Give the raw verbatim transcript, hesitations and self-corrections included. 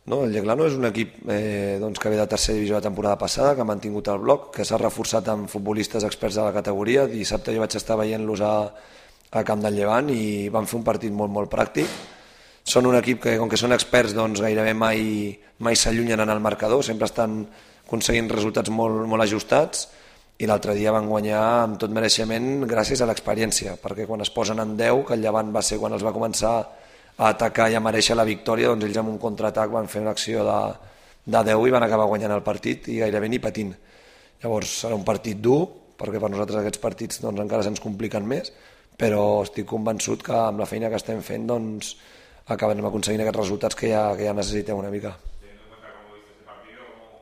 No, el Lleglano és un equip eh, doncs, que ve de tercera divisió la temporada passada, que ha mantingut el bloc, que s'ha reforçat amb futbolistes experts de la categoria. Dissabte jo vaig estar veient-los a, a Camp del Llevant i van fer un partit molt, molt pràctic. Són un equip que, com que són experts, doncs gairebé mai, mai s'allunyen en el marcador, sempre estan aconseguint resultats molt, molt ajustats, i l'altre dia van guanyar amb tot mereixement gràcies a l'experiència, perquè quan es posen en deu, que el Llevant va ser quan els va començar a atacar i a mereixer la victòria, doncs ells amb un contraatac van fer una acció de, de deu i van acabar guanyant el partit i gairebé ni patint. Llavors serà un partit dur, perquè per nosaltres aquests partits doncs, encara se'ns compliquen més, però estic convençut que amb la feina que estem fent doncs, acabarem aconseguint aquests resultats que ja, que ja necessitem una mica.